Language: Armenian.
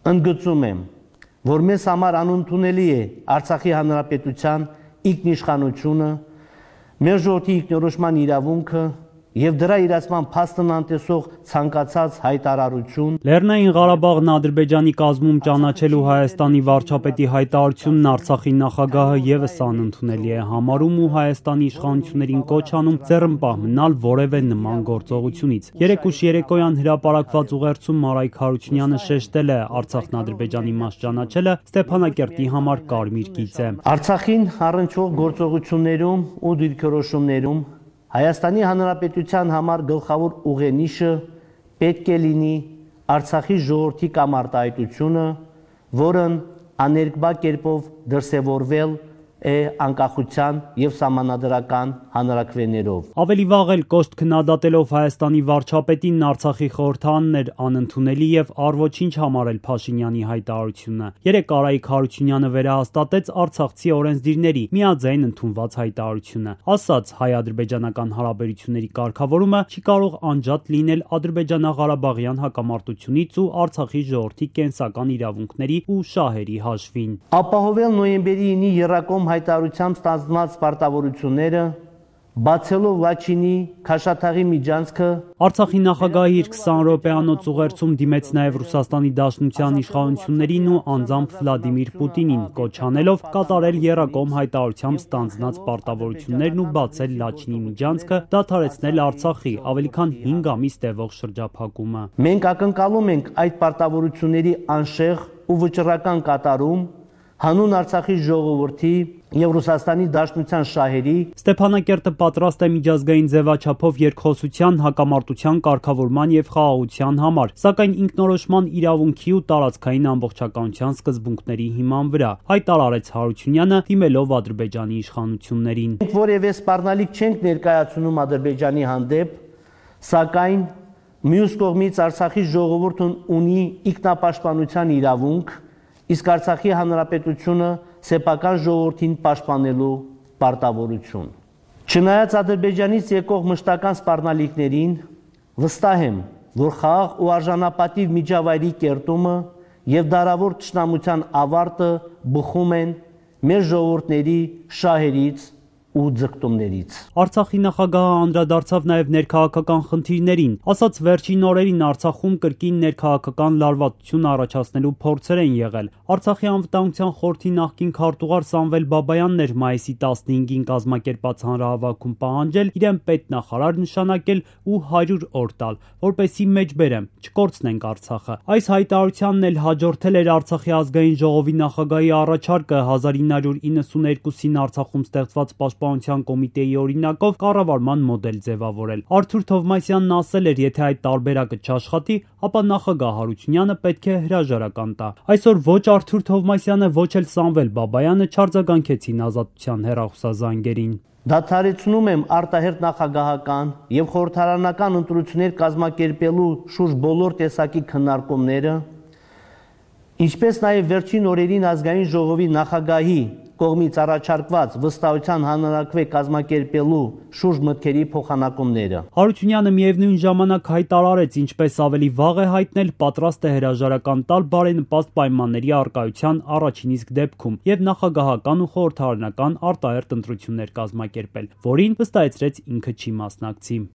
ընդգծում եմ, որ մեզ համար անընդունելի է Արցախի Հանրապետության ինքնիշխանությունը, մեր ժողովրդի ինքնորոշման իրավունքը եւ դրա իրացման փաստն անտեսող ցանկացած հայտարարություն։ Լեռնային Ղարաբաղն Ադրբեջանի կազմում ճանաչելու Հայաստանի վարչապետի հայտարարությունն Արցախի նախագահը եւս անընդունելի է համարում ու Հայաստանի իշխանություններին կոչ անում ձեռնպահ մնալ որևէ նման գործողությունից։ Երեկուշ երեկոյան հրապարակված ուղերձում Մարայք Հարությունյանը շեշտել է Արցախն Ադրբեջանի մաս ճանաչելը Ստեփանակերտի համար կարմիր գիծ է։ Արցախին առնչվող գործողություններում ու դիրքորոշումներում Հայաստանի Հանրապետության համար գլխավոր ուղենիշը պետք է լինի Արցախի ժողովրդի կամ արտահայտությունը, որն աներկբա կերպով դրսևորվել է անկախության եւ սահմանադրական հանրաքվեներով։ Ավելի վաղ էլ կոշտ քննադատելով Հայաստանի վարչապետին Արցախի խորհրդարանն էր անընդունելի եւ առ-ոչինչ համարել Փաշինյանի հայտարարությունը։ Երեկ Արայիկ Հարությունյանը վերահաստատեց արցախցի օրենսդիրների միաձայն ընդունված հայտարարությունը։ Ասաց, հայ-ադրբեջանական հարաբերությունների կարգավորումը չի կարող անջատ լինել ադրբեջանա-ղարաբաղյան հակամարտությունից ու Արցախի ժողովրդի կենսական իրավունքների ու շահերի հաշվին։ Ապահովել նոյեմբերի 9-ի եռակողմ հայտարարությամբ ստանձնված պարտավորությունները, բացելով Լաչինի Քաշաթաղի միջանցքը։ Արցախի նախագահի իր 20 րոպեանոց ուղերձում դիմեց նաև Ռուսաստանի Դաշնության իշխանություններին ու անձամբ Վլադիմիր Պուտինին, կոչ անելով կատարել եռակողմ հայտարարությամբ ստանձնած պարտավորություններն ու բացել Լաչինի միջանցքը, դադարեցնել Արցախի ավելի քան 5 ամիս տևող շրջափակումը։ Մենք ակնկալում ենք այդ պարտավորությունների անշեղ ու վճռական կատարում հանուն Արցախի ժողովրդի եւ Ռուսաստանի Դաշնության շահերի։ Ստեփանակերտը պատրաստ է միջազգային ձևաչափով երկխոսության, հակամարտության կարգավորման եւ խաղաղության համար, սակայն ինքնորոշման իրավունքի ու տարածքային ամբողջականության սկզբունքների հիման վրա, հայտարարեց Հարությունյանը, դիմելով Ադրբեջանի իշխանություններին։ Մենք որևէ սպառնալիք չենք ներկայացնում Ադրբեջանի հանդեպ, սակայն մյուս կողմից Արցախի ժողովուրդն ունի ինքնապաշտպանության իրավունք, իսկ Արցախի Հանրապետությունը սեփական ժողովրդին պաշտպանելու պարտավորություն։ Չնայած Ադրբեջանից եկող մշտական սպառնալիքներին, վստահ եմ, որ խաղաղ ու արժանապատիվ միջավայրի կերտումը եւ դարավոր թշնամության ավարտը բխում են մեր ժողովուրդների շահերից ու ձգտումներից։ Արցախի նախագահը անդրադարձավ նաև ներքաղաքական խնդիրներին, ասաց վերջին օրերին Արցախում կրկին ներքաղաքական լարվածություն առաջացնելու փորձեր են եղել։ Արցախի անվտանգության խորհրդի նախկին քարտուղար Սամվել Բաբայանն էր մայիսի 15-ին կազմակերպած հանրահավաքում պահանջել իրեն պետնախարար նշանակել ու 100 օր տալ, որպեսզի մեջբերեմ, չկորցնենք Արցախը։ Այս հայտարարությանն էլ հաջորդել էր Արցախի ազգային ժողովի նախագահի առաջարկը 1992-ին Արցախում ստեղծված պաշտպանության կոմիտեի օրինակով կառավարման մոդել ձևավորել։ Արթուր Թովմասյանն ասել էր, եթե այդ տարբերակը չաշխատի, ապա նախագահ Հարությունյանը պետք է հրաժարական տա։ Այսօր ոչ Արթուր Թովմասյանը, ոչ էլ Սամվել Բաբայանը չարձագանքեցին ազատության հեռախոսազանգերին։ Դադարեցնում եմ արտահերթ նախագահական եւ խորհրդարանական ընտրություններ կազմակերպելու շուրջ բոլոր տեսակի քննարկումները, ինչպես նաեւ վերջին օրերին ազգային ժողովի նախագահի կողմից առաջարկված վստահության հանրաքվե կազմակերպելու շուրջ մտքերի փոխանակումները։ Հարությունյանը միևնույն ժամանակ հայտարարեց, ինչպես ավելի վաղ է հայտնել, պատրաստ է հրաժարական տալ բարենպաստ պայմանների առկայության առաջին իսկ դեպքում եւ նախագահական ու խորհրդարանական արտահերթ ընտրություններ կազմակերպել, որին վստահեցրեց ինքը չի մասնակցի։